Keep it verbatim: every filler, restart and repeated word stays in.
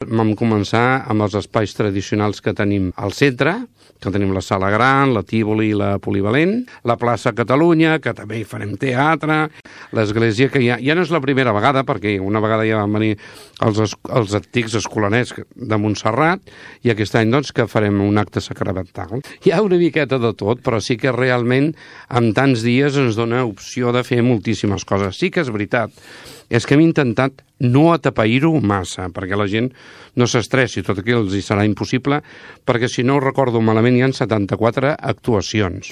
Vam començar amb els espais tradicionals que tenim al centre, que tenim la Sala Gran, la Tívoli i la Polivalent, la plaça Catalunya, que també hi farem teatre, l'església, que ja, ja no és la primera vegada, perquè una vegada ja van venir els, els antics escolanets de Montserrat, i aquest any doncs que farem un acte sacramental. Hi ha una miqueta de tot, però sí que realment en tants dies ens dona opció de fer moltíssimes coses. Sí que és veritat, és que hem intentat no atapeir-ho massa, perquè la gent no s'estressi, tot aquí els hi serà impossible, perquè si no ho recordo malament hi ha setanta-quatre actuacions.